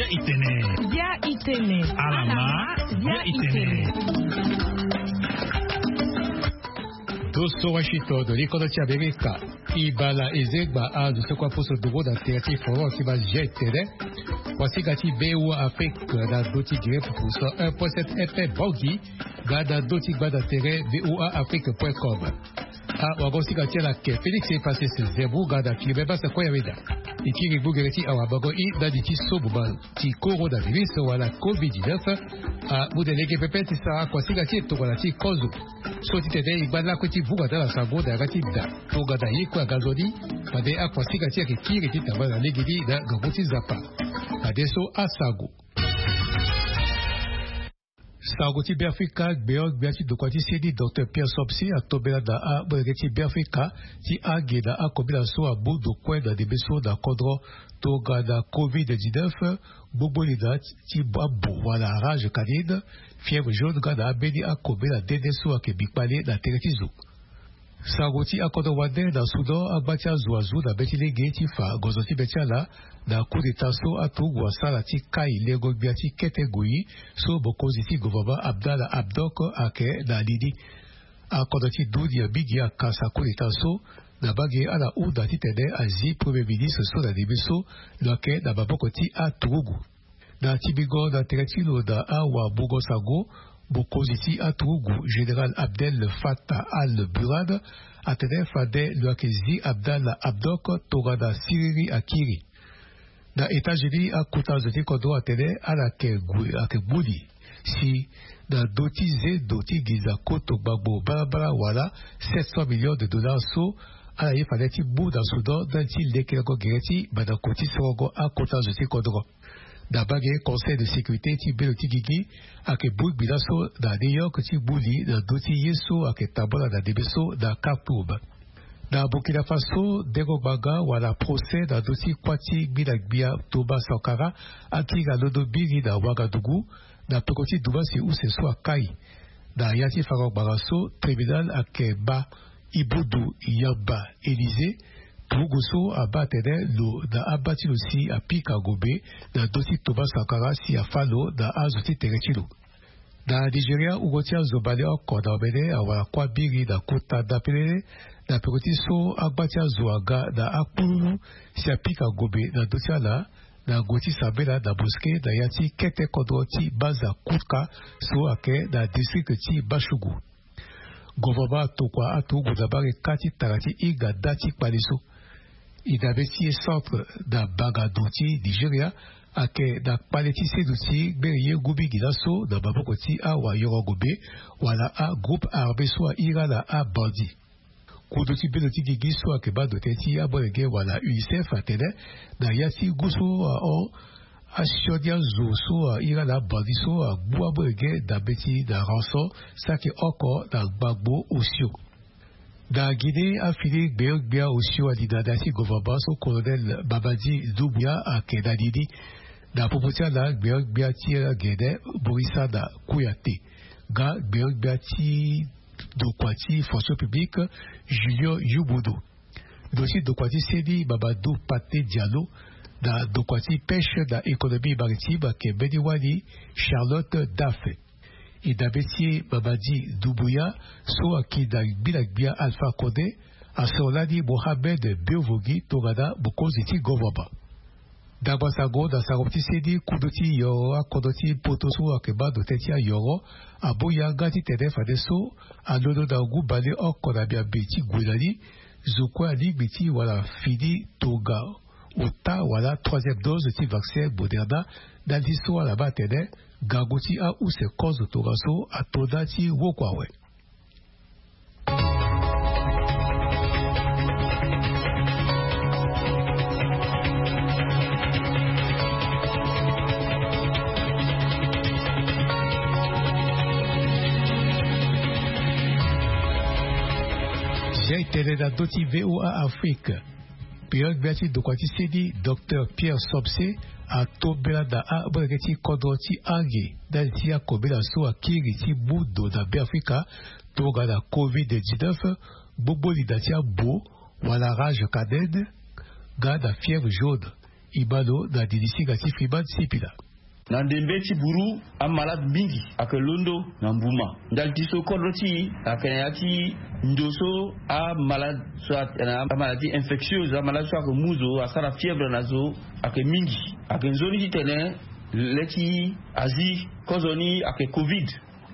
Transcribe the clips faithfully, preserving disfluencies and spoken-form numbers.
Itene. Bia itene. Alama. Bia itene. Doso Washington, likodo ti Amerika. Ibala ezegba a zo seko aposo dogo na tere ti forum ti ba G T L. Wasinga ti B O A Afrique na do ti gere pupu so un point sept F M Bangui. Ga na do ti gbanda tere B O A Afrique point com. A wago singa ti ala ke Félix Epassé Zembou ga na Philibert Bassa Koyaweda. E kiri gbogere ti awabango i ndani ti so boma ti coronavirus wala covid dix-neuf. A mu de lege pepe ti sara kua singa ti e tongana ti kozo. So ti tene e ngba lakue ti vunga na ala sango na yanga ti da. Tongana ye kue aga nzoni. Fade akua singa ti e ayeke kiri ti tambala na legeni na ngangu ti Nzapa. Fadeso asango. Sango ti Beafrika, gbeon-gbia ti dokua ti seni Docteur Pierre Somse atombela na amolenge ti Beafrika ti ange na akobela so amu ndo kue na ndembe so na kodro tongana covid dix-neuf, gbogbo lina ti ambo wala rage canine, fièvre jaune nga na ambeni akobela nde nde so ayeke bi kpale na tere ti zo. Sango ti akodro wande na Soudan, angba ti azo azu na be ti lege ti fa gonzo ti be ti ala na coup d'état so aturugu asara ti kai lengo-gbia ti kete goi so mokonzi ti gouvernement Abdallah Hamdok ayeke na li ni. Akodro ti dunia mingi akasa coup d'état so na mbage ala hunda titene azi premier ministre so na ndembe so lo yeke na maboko ti aturugu. Na timbingo na tere ti lo na awamungo sango, mokonzi ti aturugu, général Abdel Fattah al-Burhan, atene fade lo yeke zi Abdallah Hamdok tongana siriri akiri. Na États-Unis, akota zo ti kodro atene ala yeke gue, ayeke gbu li si na ndö ti zendo ti nginza koto gbagbo balabala wala sept cents millions de dollars so ala ye fade ti mu na Soudan ndali ti lekelango gere ti mandako ti sorongo akota zo ti kodro. Na mbage Conseil de sécurité ti belo ti gigi ayeke bongbi laso na New York ti gbu li na ndö ti ye so ayeke tambula na ndembe so na Khartoum. Na Burkina Faso, dengo ngbanga wala procès na ndö ti kuâ ti gbina-gbia Thomas Sankara akiri alondo mingi na Ouagadougou na peko ti dumasi use so akai. Na ya ti fango ngbanga so, tribunal ayeke baa Ibundu Yamba Élysée, turugu so abaa atene lo na abaa ti lo si apika ngombe na ndö ti Thomas Sankara si afâ lo na azo ti tere ti lo. Na Nigeria, wungo ti azo baleoko na omene awara kuâ biri na kota ndapelele na peko ti so angba ti azo aga na akpululu si apika ngombe na ndö ti ala na gue ti sambela na mosquée na ya ti kete kodro ti Baza Kutka so ayeke na district ti Bashugu. Gouvernement atokua aturugu na mbage kâ ti tara ti hinga nda ti kpale so. E dabe ti e centre na mbagadu ti Nigeria ayeke na kpale ti seduti gbere ye ngu mingi laso na maboko ti awayoro ngombe wala agroupe armé so ahira na abandit. Kundu ti bendo ti gigi so ayeke baa ndo tënë ti amolenge wala UNICEF atene na ya ti ngu so ahon, asioni azo so ahira na abandit so agbu amolenge na mbeti na rançon saki oko na gbagbo osio. Na Guinée, afini gbeon-gbia osio alingana ti gouvernement so colonel Mamadi Doumbouya ayeke na li ni. Na popo ti ala, gbeon-gbia ti agene Morisana Kouyaté nga gbeon-gbia ti ndokua ti fonction publique Julien Youmounou. Ndo ti ndokua ti seni Mamadou Pathé Diallo na ndokua ti pêche na économie maritime ayeke mbeni wali Charlotte Dafe. E dabe ti e Mamadi Doumbouya so aki na gbila-gbia Alpha Condé asoro lani Mohamed Beovogui tongana mokonzi ti gouvernement. Ndangba sango na sango ti seni, kundu ti yoro akodro ti poto so ayeke baa ndo tënë ti ayoro amu yanga titene fadeso alondo na ngu baleoko na miambe ti gue na ni, zo kue alingbi ti wara fini tonga ota wala troisième dose ti vaccin Moderna, ndali so ala baa atene ngangu ti ahunzi kozo tongaso ato nda ti woko awe. Zia e tene na ndö ti V O A Afrique. Pio gbia ti ndokua ti seni, Docteur Pierre Somse, atombela na amolenge ti kodro ti ange ndali ti akobela so akiri ti mu ndo na Beafrika tongana covid dix-neuf, gbogbo linda ti ambo wala rage canine nga na fièvre jaune. E baa lo na didi singa ti Freeman Sipila. Na ndembe ti buru, amalade mingi ayeke londo na mbuma. Ndali ti so kodro ti e ayeke na ya ti ndo so amalade so ayeke na amalade ti infectieuse, amalade so ayeke mu zo, asara fièvre na zo, ayeke mingi. Ayeke nzoni titene le ti azi kozoni ayeke covid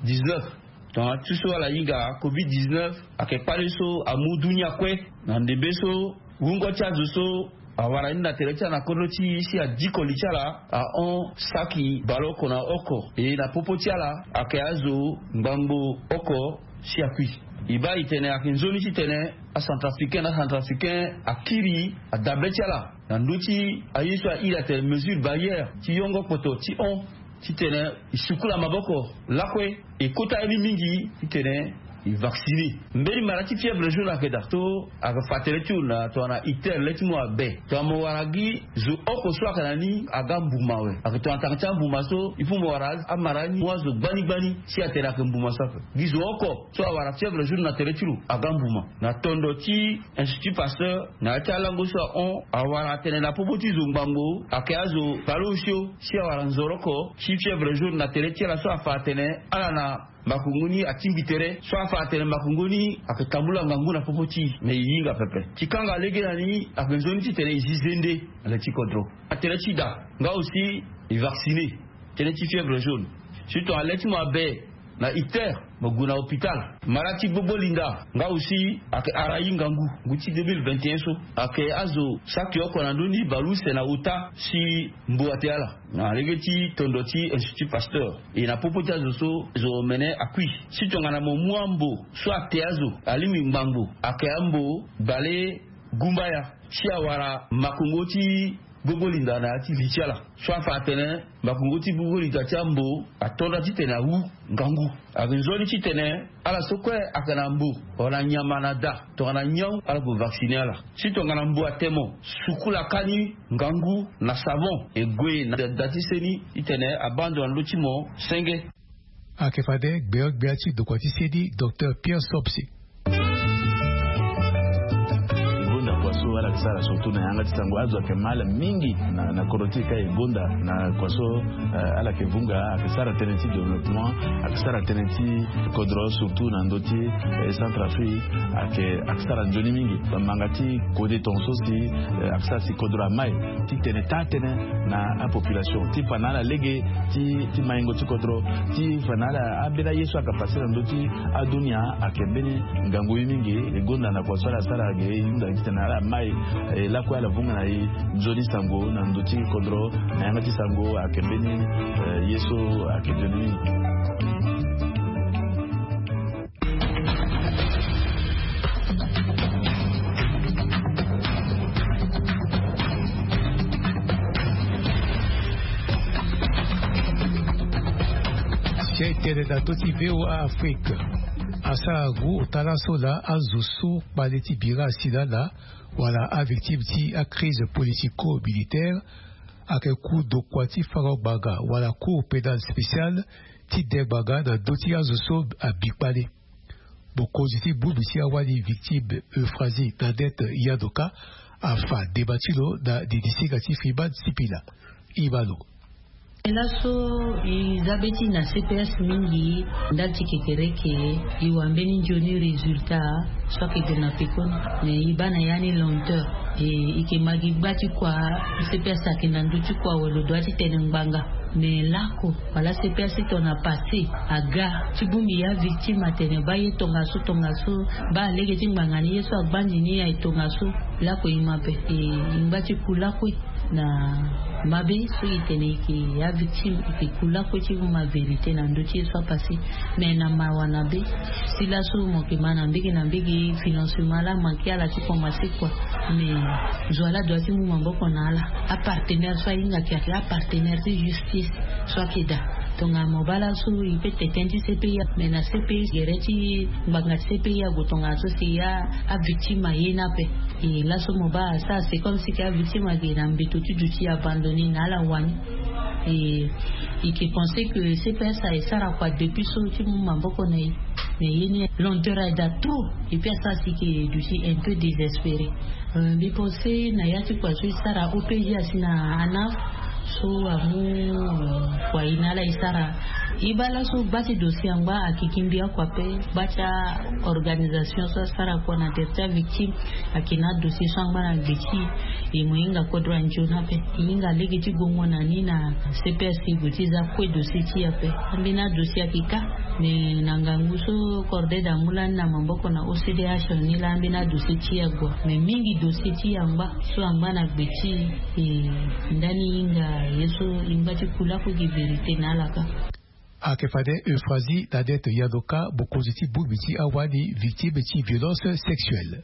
dix-neuf. Tongana ti so ala hinga covid dix-neuf ayeke kpale so amu dunia kue. Na ndembe so wungo ti azo so awara ni na tere ti ala na kodro ti e si adiko li ti ala ahon saki baleoko na oko. E na popo ti ala ayeke azo ngbangbo oko si akui. E baa e tene ayeke nzoni titene acentrafricain na acentrafricain akiri adabe ti ala na ndö ti aye so ahiri atene mesure barrière ti yongo kpoto ti hon titene e sukula maboko lakue, e kota ye ni mingi titene e vacciner. Mbeni mara ti fièvre jaune ayeke daa so ayeke fa tënë ti lo na tongana iter le ti mo abe. Tongana mo wara gi zo oko so ayeke na ni aga mbuma awe. Ayeke tongana tanga ti ambuma so il faut mo wara amara ni mu azo gbani gbani si atene ayeke mbuma so ape. Gi zo oko so awara fièvre jaune na tere ti lo aga mbuma. Na tondo ti Institut Pasteur, na ya ti alango so ahon, awara atene na popo ti zo ngbangbo ayeke azo baleosio si awara nzoroko ti fièvre jaune na tere ti ala so afa atene ala na makongo ni atingbi tere, so afa atene makongo ni ayeke tambula ngangu na popo ti e. Me e hinga pepe. Ti kanga lege na ni ayeke nzoni titene e zi zende na le ti kodro. Na tere ti da nga aussi e vacciner tënë ti fièvre jaune. Surtout na le ti mo abe na iter, mo gue na hôpital. Mara ti gbogbo linda nga aussi ayeke arayi ngangu. Ngu ti deux mille vingt et un so ayeke azo saki oko na ndö ni baleuse na ota si mbo ate ala. Na lege ti tondo ti Institut Pasteur, e na popo ti azo so zo omene akui. Si tongana mo mu ambo so ate azo alingbi ngbangbo, ayeke ambo bale gumbaya si awara makongo ti gbogbo linda na ya ti li ti ala. So afa atene makongo ti gbogbo linda ti ambo atonda titene awu ngangu. Ayeke nzoni titene ala so kue ayeke na mbo, wala nyama na da, tongana nyon ala gue vacciner ala. Si tongana mbo ate mo, sukula kani ngangu na savon, e gue na da ti seni titene abaa ndo na ndö ti mo senge. Ayeke fade gbeogbia ti dokua ti seni, Docteur Pierre Sobsi. E gonda kua so ala yeke sara surtout na yanga ti sango, azo ayeke mal mingi na, na kodro ti e ka e gonda na kua so, eh, ala yeke vunga, ayeke sara tënë ti développement, ayeke sara tënë ti kodro surtout na ndö ti, eh, Centrafrique, ayeke, ayeke sara nzoni mingi. Bamanga ti kode tongaso si, eh, ayeke sara si kodro amai titene taa tënë na apopulation ti fa na ala lege ti, ti maingo ti kodro, ti fa na ala ambeni aye so ayeke pase na ndö ti adunia ayeke mbeni ngangu ye mingi. E gonda na kua so ala sara ge e hunda titene ala mai, e lakue ala vunga na e nzoni sango na ndö ti kodro na yanga ti sango ayeke mbeni, eh, ye so ayeke nzoni mingi. Si aye tene na ndö ti V O A Afrique, asara ngu ota laso laa azo so kpale ti bira asi laa laa wala avictime ti acrise politico-militaire ayeke ku dokua ti fango ngbanga wala Cour pénale spéciale ti de ngbanga na ndö ti azo so abi kpale. Mokonzi ti bongbi ti awali victime Euphrasie Nadette Yadoka afa deba ti lo na didi singa ti Freeman Sipila. Iba lo. Laso e za be ti na C P S mingi ndali ti kekereke. E wa mbeni nzoni résultat so ayeke gue na pekoni. Me e baa na ya ni lenteur. E, e yeke ma gi gba ti kua C P S ayeke na ndö ti kua wala lo dua ti tene ngbanga. Me lako wala C P S ti tongana passé aga ti bongbi avictime atene baa ye tongaso tongaso, baa lege ti ngbanga ni ye so agbandi ni aye tongaso. Lako e mabe, e, e ngba ti ku lakue na mabe so e tene e yeke avictime, e yeke ku lakue ti mu ma vérité na ndö ti ye so apassé. Me na mawa na be, si laso mo yeke ma na mbege na mbege financement laa manke ala ti komanse kua. Me zo ala dua ti mu maboko na ala. Apartenaire so ahinga ayeke, ayeke apartenaire ti justice so ayeke daa. Tongana mo baa laso e peut tene ti C P I, me na C P I gere ti ngbanga ti C P I ague tongana so si avictime aye ni ape. E laso mo baa asara c'est comme si ke avictime ayeke na mbeto ti duti abandonné na ala wani. E, e ke pense que cps aye sara kua depuis so ti mu maboko na ye. Mais ye ni lenteur aye daa trop. Et puis asara si ke duti un peu désespéré. Mbi pense na ya ti kua so e sara opg asi na anaf, so amu kua ye na ala e sara. E baa laso gba ti dossier angba akiki mbi akua pe. Gba ti a organisation so asara kua na tere ti avictime ake na adossier so angba na gbe ti e. E mo hinga kodro anzoni ape. E hinga lege ti gongo na ni na cps e gue ti za kue dossier ti e ape. Ambeni adossier ake ka. Mais na ngangu so corded amu lani na maboko na ocdh ni laa ambeni adossier ti e ague. Mais mingi dossier ti e angba so angba na gbe ti e. Ndani hinga ye so e ngba ti ku lakue gi vérité na ala ka. Ake fade Euphrasie Nadette Yadoka, mokonzi ti bongbi ti awali victime ti violence sexuelle.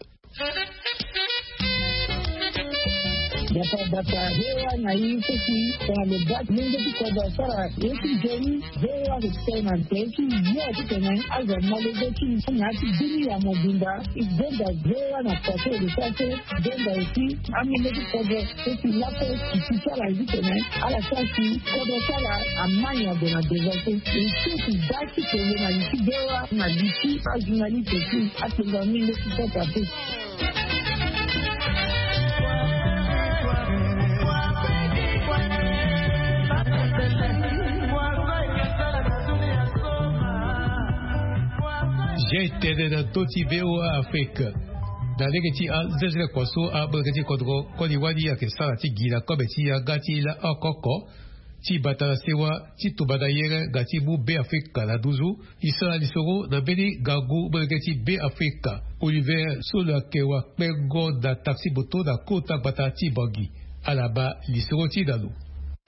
Bata bata hewa na i seki tongana lo baa ti mungo ti kodro asara ye ti nzoni. Hewa lo tene na nze ti yo ti tene azo malege ti na ya ti bini ya mobimba. I gbenda hewa na pase lo sara so gbenda aussi. Amenge ti kodro so si laso ti ti ti ala ye ti tene ala sara si kodro ti ala amani ague na devant so. E so si da ti tene na li ti hewa na li ti ajournaliste aussi. Atenga mingi ti sota te. Zia etene na ndö ti voa afrique. Na lege ti azezele kua so amolenge ti kodro koli wali ayeke sara ti gi na kobe ti yanga ti la oko oko ti bata na sewa ti tumba na yere nga ti mu be afrika na nduzu. E sara lisoro na mbeni ngangu molenge ti be afrika oliver so lo yeke wakpengo na taxi moto na kota gbata ti bangi. Ala ma lisoro ti na lo.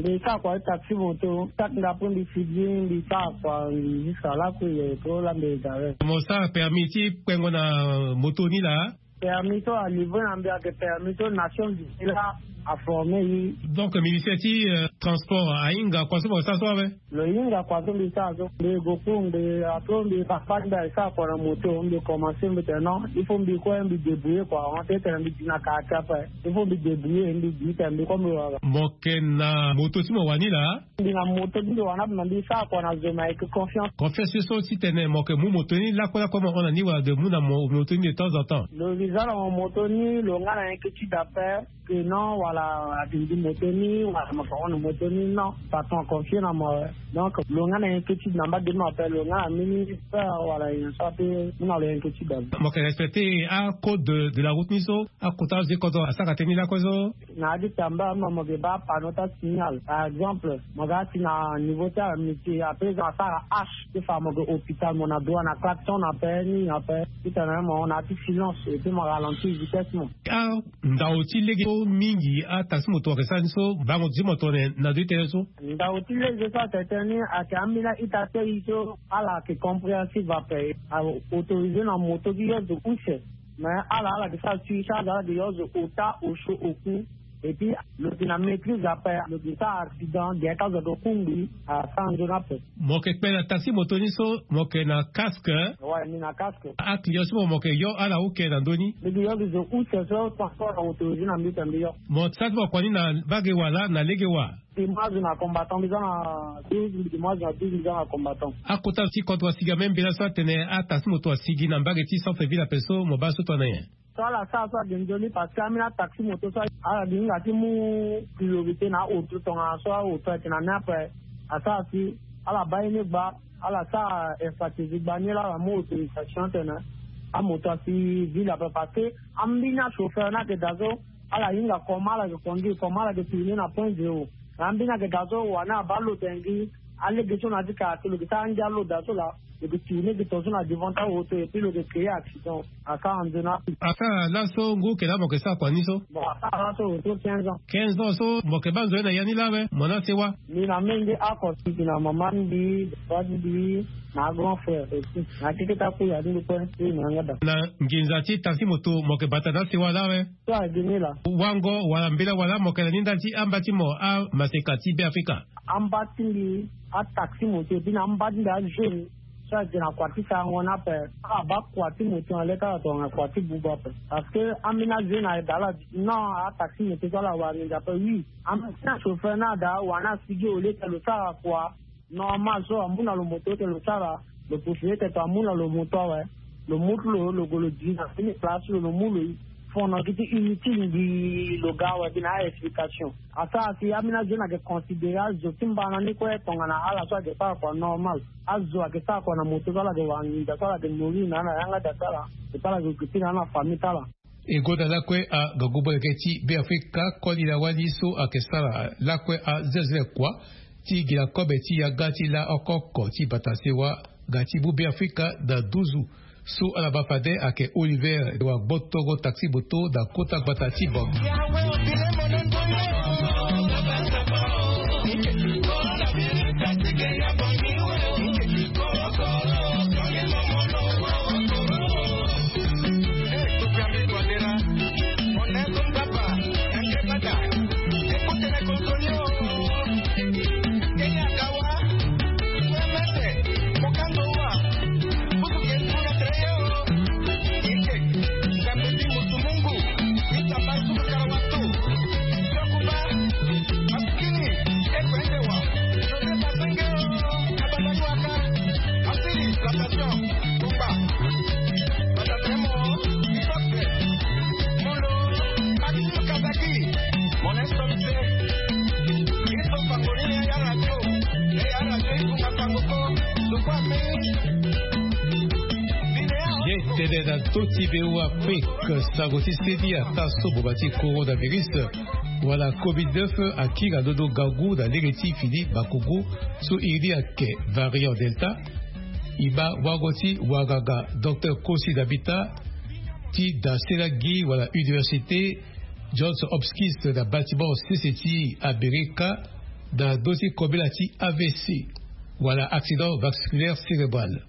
Mbi sara kua ti taxi moto. Saki nga po mbi fidi mbi sara kua mbi jusque lakue ye po la mbi egare. Mo sara permis ti kpengo na moto ni laa? Permis so alivre na mbi ayeke permis so nation du pays la aforme ye. Donc ministère ti transport ahinga kua so mo sara so awe? Lo hinga kua so mbi sara so mbi gue kungbe. Ato mbi papa ti mbi aye sara kua na moto mbi commence mbi tene non il faut mbi kue mbi débrouiller kua avant ti tene mbi di na kara ti ape. Il faut mbi débrouiller mbi di tene mbi kue mbi wara. Mo yeke na moto ti mo wani laa? Mbi na moto ti mbi wani ape na mbi sara kua na zo me ayeke confiance. Confiance so ti tene mo yeke mu moto ni lakue lakue mo hon na ni wala de mu na mo moto ni de temps en temps? Lo visa na mo moto ni lo nga na inquiétude ape. Que non wala ati ndi moto ni wala mo fa hon na moto ni non. Patron aconfie na mo. Donc lo nga na inquiétude na mba de mo ape lo nga na mini peur wala nyen so ape. Mu na lo inquiétude ape. Mo yeke respecter acode de la route ni so? Akota azo ti kodro asara tënë ni lakue so? Na ya ti tamba ama mo yeke baa panneau ti asignal par exemple mo ga ti na niveau ti amitié après zo asara hache ti fa mo yeke hôpital mo na droit na klaxon na pe nini na pe. Ti tene mo na ya ti silence et puis mo ralentir vitesse mo. Ndao ti lege so mingi ataxi moto ayeke sara ni so bango ti mo tongana na ndo ti tënë so? Ndao ti lege so atene tënë ni ayeke ambeni a-ita ti aye so ala yeke compréhensive ape. Autorisé na moto ti yo zo use. Mais ala ala yeke sara suivre ti azo ala yeke yo zo ota osio oku. Et puis lo yeke na maîtrise ape lo yeke sara accident gere ti azo ayeke kungbi. Asara nzoni ape. Mo yeke kpe na taxi moto ni so mo yeke na casque? Wai mbi na casque. Aclient so mo mo yeke yo ala oke na ndö ni? Mbi yeke yo gi zo use so transport na autorisé na mbi tene mbi yo. Mo sara ti mo kua ni na mbage wa laa na lege wa? Mbi mu azo na combattant mbi za na douze mbi mu azo na douze mbi za na combattant. Akota ti kodro asigi ame mbela so atene ataxi moto asigi na mbage ti centre ville ape so mo baa so tongana nyen? So ala sara so ade nzoni parce que ambeni ataxi moto so ala gi hinga ti mu priorité na aoto tongana so aoto ayeke na ni ape. Asara si ala baa ye ni gba ala sara infratégie gba ni laa ala mu autorisation tene amoto asi ville ape parce que ambeni achauffeur ni ayeke daa so ala hinga comment ala yeke conduire comment ala yeke tourner na point zéro. Na ambeni ayeke daa so wani abaa lo tene gi alege so na ya ti kara ti lo yeke sara angia lo daa so laa. Lo yeke tourner gi tongaso na devant ti aoto et puis lo yeke créer accident. Asara nzoni ape. Asara laso ngu eke laa mo yeke sara kua ni so? Bon asara laso autour quinze ans. Quinze ans so mo yeke baa nzoni na ya ni laa awe mo na sewa? Mbi na menge oko si mbi na mama ti mbi, papa ti mbi, na grand frère aussi na keke ti akuya ti mbi kue. Mbi na yanga daa. Na nginza ti taxi moto mo yeke bata na asewa laa awe? So agi ni laa. Wango wala mbela wala mo yeke na ni ndali ti amba ti mo amaseka ti be afrika? Amba ti mbi ataxi moto et puis na amba ti mbi ajeune. Ti ake na kua ti sarango ni ape. Abaa kua ti moto na le ti ala tongana kua ti buba ape. Parce que ambeni aze na eda ala. Non, ataxi moto so ala wara nginza ape. Oui, ambeni achauffeur ni ada wara ni asigi au lieu ti lo sara kua normal so amu na lo moto ti lo sara. Lo possibilité ti amu na lo moto awe. Lo mu ti lo lo gue lo di na fini place ti lo lo mu lo. Fono gi ti inutile mbi lo ga awe gi na a-explication. Asara si ambeni azo ni ayeke considéré azo ti mbana ni kue tongana ala so ayeke sara kua normal. Azo ayeke sara kua na moto so ala yeke wara nginza so ala yeke nourrir na ala na yanga da ti ala. Ti ala yeke occupé na ala na famille ti ala. E gonda lakue agangu molenge ti Beafrika koli na wali so ayeke sara lakue azezele kua ti gi na kobe ti yanga ti la oko oko ti bata sewa. Ga ti mu Beafrika na duzu so ala baa fade ayeke Oliver wa gbotongo taxi moto na kota gbata ti Bangui. Ye tene na to ti Beo Afrique, sango ti seni ata so boma ti coronavirus wala covid neuf akiri na londo ngangu na lege ti fini makongo so iri ni ayeke variant Delta. E baa wango ti wanganga Docteur Kosi Nabita ti da sela gi wala Université Johns Hopkins na bâtiment sese ti Amerika na ndö ti kobela ti A V C wala accident vasculaire cérébral.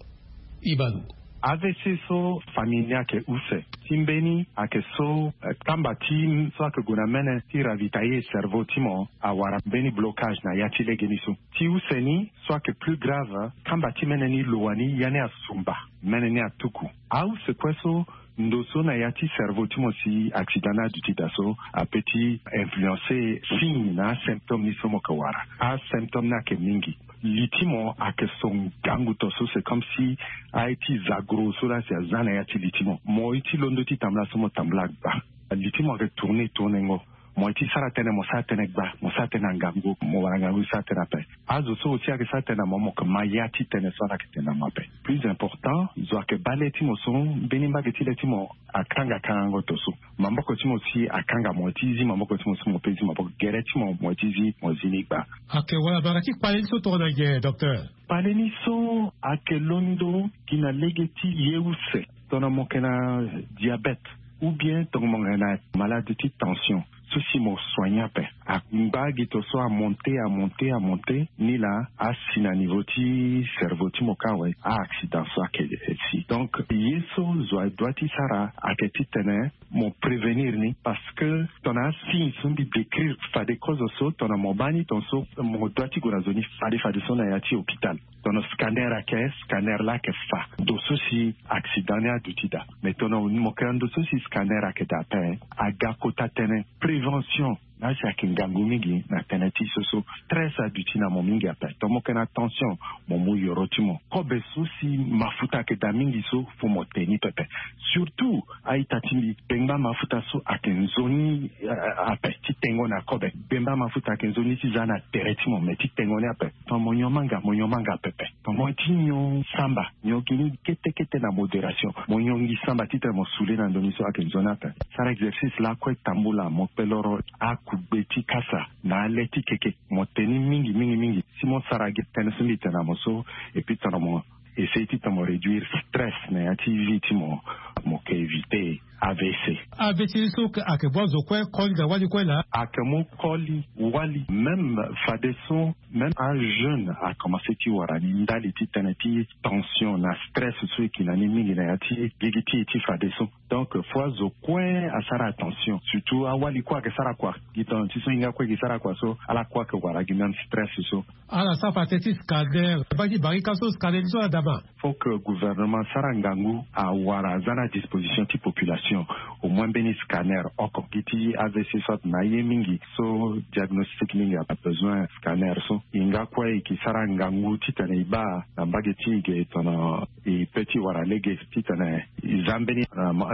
Ibalo. A V C so famille ni ayeke use. Ti mbeni ayeke so, eh, kamba ti so ayeke gue na mene ti ravitailler cerveau ti mo awara mbeni blocage na ya ti legeni so. Ti use ni so ayeke plus grave, kamba ti mene ni lo wani ya ni asumba, mene ni atuku. Ause kue so ndo so na ya ti cerveau ti mo si accident ni aduti daa so ape ti influencer signe na asymptôme ni so mo yeke wara. Asymptôme ni ayeke mingi. Li ti mo ayeke so ngangu to so, c'est comme si aye ti zagro so laa si aza na ya ti li ti mo. Mo ye ti londo ti tambula so mo tambula agba. Li ti mo ayeke tourner tournengo. Mo ye ti sara tënë mo sara tënë gba, mo sara tënë na ngangu, mo wara ngangu ti sara tënë ape. Azo so aussi ayeke sara tënë na mo, mo yeke ma ya ti tënë so ala yeke tene na mo ape. Plus important, zo ayeke baa le ti mo so mbeni mbage ti le ti mo akanga kangango to so. Maboko ti mo si akanga mo ye ti zi maboko ti mo so mo pe zi maboko, gere ti mo mo ye ti zi mo zi ni gba. Ayeke wala bara ti kpale ni so tongana nyen, docteur? Kpale ni so ayeke londo gi na lege ti ye use. Tongana mo yeke na diabète, ou bien tongana mo yeke na malade ti tension, so si mo soigner ape, angba gi to so amonte, amonte, amonte, ni laa asi na niveau ti cerveau ti mo kâ awe, a-accident so ayeke si. Donc ye so zo adoit ti sara ayeke titene mo prévenir ni, parce que tongana asigne so mbi décrire fade kozo so, tongana mo baa ni tongaso, mo doit ti gue na zo ni fade fadeso na ya ti hôpital. Tongana scanner ayeke, scanner laa ayeke fa ndo so si accident ni aduti daa. Mais tongana mo yeke na ndo so si scanner ayeke daa ape, aga kota tënë prévention. Laa si ayeke ngangu mingi na tënë ti so so stress aduti na mo mingi ape. Tongana mo yeke na tension, mo mu yoro ti mo. Kobe so si mafuta ayeke daa mingi so, fo mo te ni pepe. Surtout a-ita ti mbi, bengba mafuta so ayeke nzoni, eh, ape ti tengo na kobe. Bengba mafuta ayeke nzoni ti za na tere ti mo, me ti tengo ni ape. Tongana mo nyon manga, mo nyon manga pepe. Tongana mo ye ti nyon samba, nyon gi ni kete kete na modération. Mo nyon gi samba titene mo sule na ndo ni so ayeke nzoni ape. Sara exercice lakue tambula, mo kpe loro akugbe ti kasa na ale ti keke. Mo te ni mingi mingi mingi. Si mo sara gi tënë so mbi tene na mo so, et puis tongana mo essayer titene mo réduire stress na ya ti vie ti mo. Mo ke éviter avc. Avc ni so ayeke bua zo kue koli na wali kue laa. Ayeke mu koli wali même fadeso même un jeune akomense ti wara ni ndali ti tënë ti tension na stress so e ki na ni mingi na ya ti gigi ti e ti fadeso. Donc fo azo kue asara attention surtout awali kue ayeke sara kua. Gi tongana ti so hinga kue e ke sara kua so ala kue ayeke wara gi même stress so. Ala sara fa tënë ti scanner baa ti barika so scanner ni so ala dama. Faut que gouvernement sara ngangu awara aza na disposition ti population au moins mbeni scanner oko gi ti avc so atena aye mingi so diagnostic mingi abesoin scanner so. Hinga kue e ke sara ngangu titene e baa na mbage ti e ge tongana e pe ti wara lege titene e za mbeni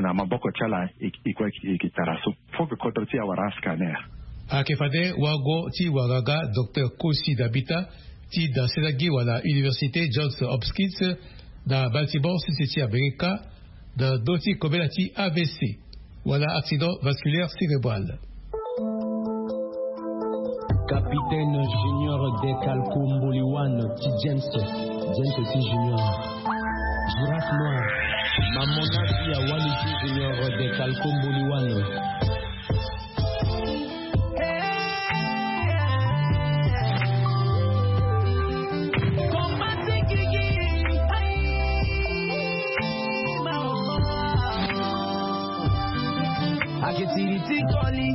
na maboko ti ala. E kue e ke tara so. Faut que kodro ti e awara ascanner. Ayeke fade wago ti wara ga docteur Kosi Dabita ti dasela gi wala université Johns Hopkins na Baltimore sisi ti Amerika na ndö ti kobela ti avc wala accident vasculaire cérébral. Capitaine Junior Dekalko Mboliwan ti James. James ti Junior. Girafe noir. Mamona ti awali ti Junior Dekalko Mboliwan. Ake tiri ti koli.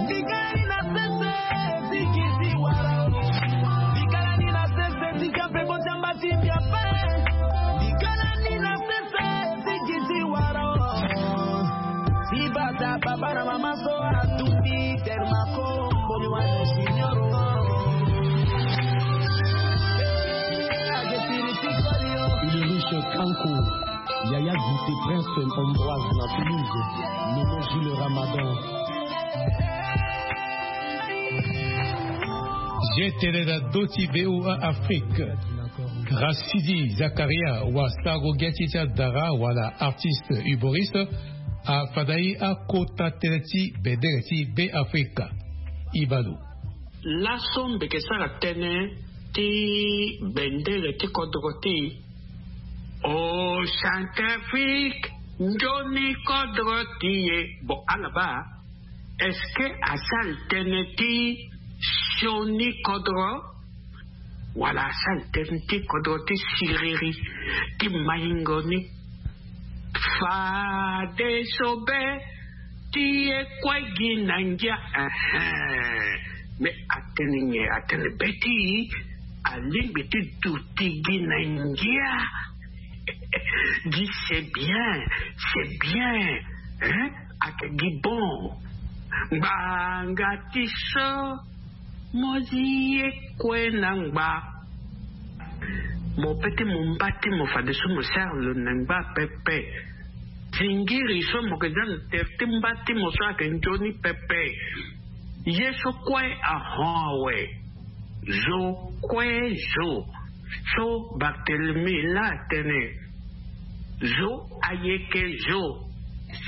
Bikala ni na sese ti gi ti wara. Bikala ni na sese ti gi ape ko jamba ti mbi ape. Bikala ni na sese ti gi ti wara. Ti bata papa na mama so atumbi termako mboli wana junior. Ake tiri ti koli yo. Ulrich Kanko. Yaya Guité Prince Ambroise na Toulouse. Nono Jules Ramadan. G tene na ndö ti VOA Afrique. Rasidi Zakaria wa sarango ngia ti ti adara wala artiste humoriste. Afada ye akota tënë ti bendere ti Beafrika. Ibalo. Laso mbi yeke sara tënë ti bendere ti kodro ti e. O Centrafrique, nzoni kodro ti e. Bon, ala baa, est-ce que asara tënë ti sioni kodro? Wala asara tënë ti kodro ti siriri ti maingo ni? Fadeso be ti e kue gi na ngia. Ehe. Mais atene nyen? Atene be ti alingbi ti duti gi na ngia. Gi c'est bien, c'est bien. Hein? Ake gi bon. Ngbanga ti so mo zi ye kue na ngba. Mo pe ti mo mba ti mo fadeso mo sara lo na ngba pepe. Zingiri so mo yeke za na tere ti mba ti mo so ayeke nzoni pepe. Ye so kue ahon awe. Zo kue zo. So Barthélemy laa atene. Zo ayeke zo.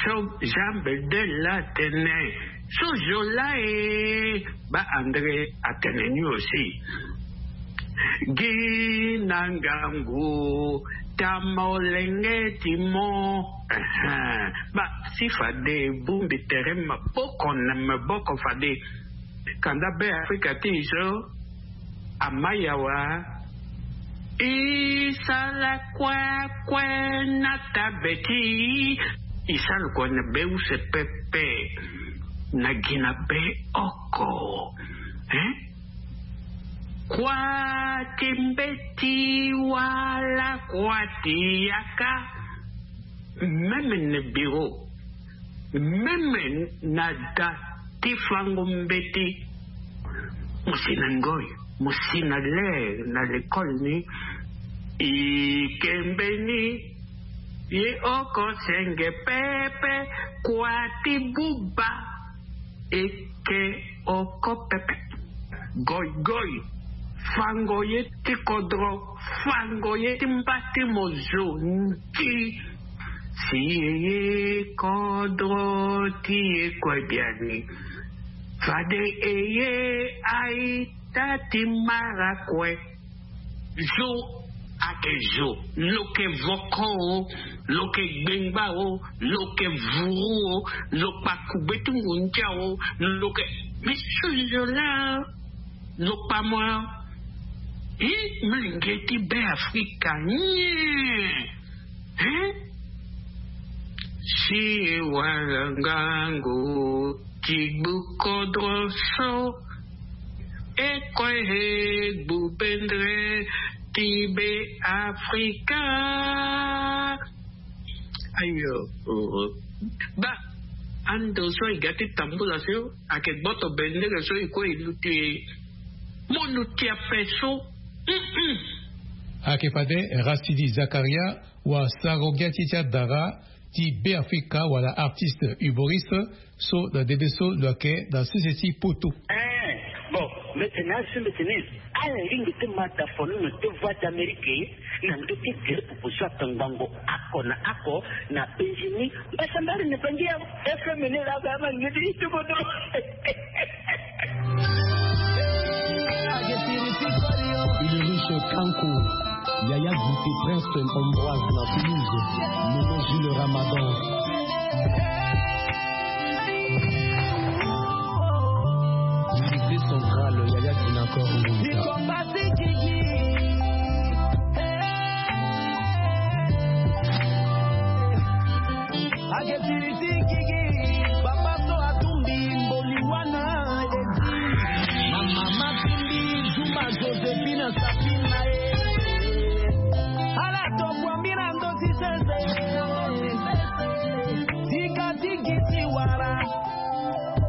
So Jean Bedel laa atene. So zo laa e. Baa André atene ni aussi. Gi na ngangu ti amolenge ti mo. Ehe. Baa si fade e bongbi tere maboko na maboko fade. Kanda Beafrika ti e so. Ama yawa. E sara kue kue na tabe ti e. E sara kue na be use pepe. Na gi na be oko. Hein? Kua ti mbeti wala kua ti yaka. Même na bureau, même na da ti fango mbeti. Mo si na ngoi, mo si na ler na lekole ni. E ke mbeni. Ye oko senge pepe. Kua ti buba. E ke oko pepe. Goigoi. Fango ye ti kodro. Fango ye ti mba ti mo zo. Nti. Si e ye kodro ti e kue biani. Fade e ye aita ti mara kue. Zo Ake zo, lo ke voko o, lo ke gbengba o, lo ke vuru o, lo kpa kugbe ti ngundia o, lo ke, mais so zo laa lo kpa mo. Hi, menge ti Be Afrika nyen? Hein? Si wala ngangu ti gbu kodro so, e kue he gbu bendre ti Be Afrika. Ayo, oh, oh. Ba, ando so e ga ti tambula so, ake gboto bendere so e kue e luti e. Mo luti ape so. Mm-mm. Ake fade Rachidi Zakaria, wa sarango ngia ti ti adara ti Be Afrika wala artiste humoriste so na dede so lo yeke na sese ti poto. Eh, bon, mbeti na asu mbeti ni. Ala lingbi ti ma da fo ni na ti Voix d'Amérique na ndö ti gere pupu so atongbango ako na ako na penzi ni. Mbasambari ni bangi ya F M ni la ba ma ngeti ti bodo. Ulrich Kanko, Yaya Guité, Prince Ambroise na Toulouse, Nono Jules Ramadan. Lycée central, Yaya Dinacor Ngouza. Ake tiri ti gigi, papa so atumbi mboli wana edi. Mama matumbi Zuma Josephine Safina e. Ala tokua mbi na ndö ti sese. Tika ti gi ti wara.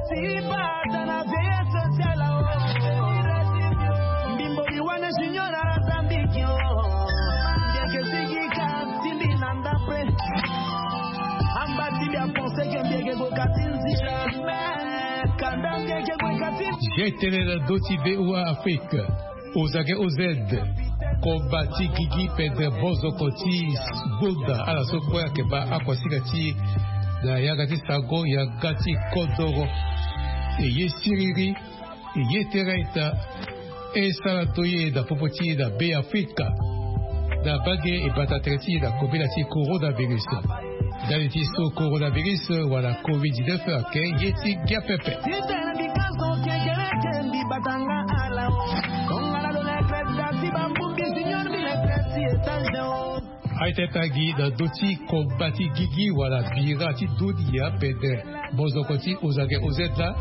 Ti bata na veillée sociale o. Mbi mboli wana junior ala zambiki o. Ndeke sigi ka ti mbi na ndapre. Amba ti mbi apense ke mbi yeke gue ka ti nzila. Kanda mbi yeke gue ka ti. Ye tene na ndö ti V O A Afrique. Ozage O Z. Koba ti gigi pendre bozoko ti gbonda ala so kue ayeke baa akuasinga ti e na yanga ti sango yanga ti kodoro. E ye siriri, e ye tere ita. E sara ndoye na popo ti e na Be Afrika na bage e bata tere ti e na kobela ti coronavirus. Ndali ti so coronavirus wala covid dix-neuf ayeke ye ti ngia pepe. Ti tene bika so kekereke mbi bata nga ala o. Tongana lo le kreti da ti bambumbi junior mbi le kreti étage o. Aye ti tagi na ndö ti koba ti gigi wala bira ti dunia pendre bozoko ti ozage O Z la,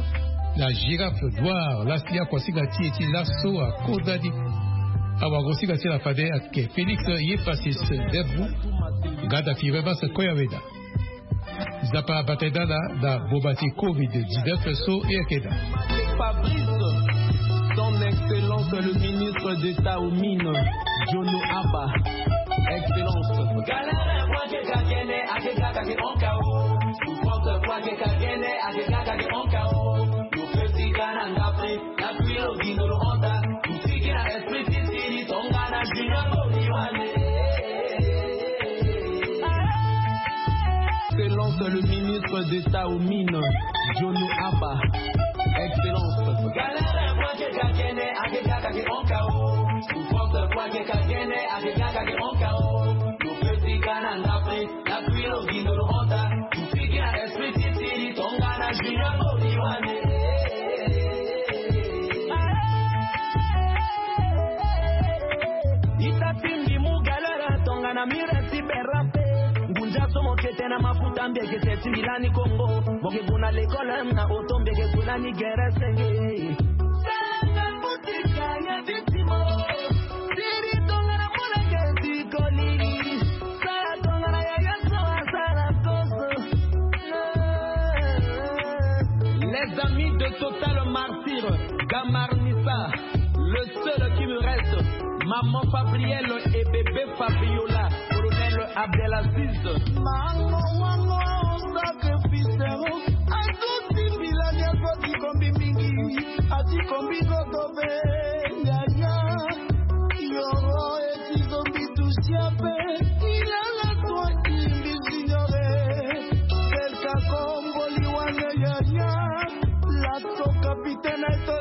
la girafe noire lasi akuasinga ti e ti laso akonda ni. Awagosinga ti ala fade ayeke Félix Yefasis Debou. Gada firme base koyaweda. Nzapa abata e dala na boma ti covid dix-neuf so e yeke daa. Fabrice, son excellence le ministre d'État aux mines, Jono Abba, excellence. Galère, moi, je gagné, à des gars, à des onkao. Souffrance, moi, je gagné, à des gars, à des onkao. Nous, petit Ghana, Afrique, la pluie, au guindo, le honda. Tout ce qui a esprit, c'est, c'est, tongana, junior, Excellence, le ministre d'État aux mines, Jono Abba. Excellence. Ita ti mbi mu galère tongana mire ti berape. Ngunza so mo kete na mafuta mbi eke te ti mbi lani Congo. Mo ke gue na l'école na auto mbi eke gue lani gere senge. Sala nga butika ya ti timo. Siri tongana molenge ti koli. Sala tongana yaya so asala koso. Les amis de Total Martyr, Gamarnissa, le seul qui me reste, maman Fabrielle et bébé Fabiola, colonel Abdelaziz. Mango wango sacrifice, azuti bilani azo ti kombi mingi, ati kombi koto pe, yaya, yoro eti zombi tusia pe, ilala toi imbi signore, belka komboli wane yaya, lato kapitene to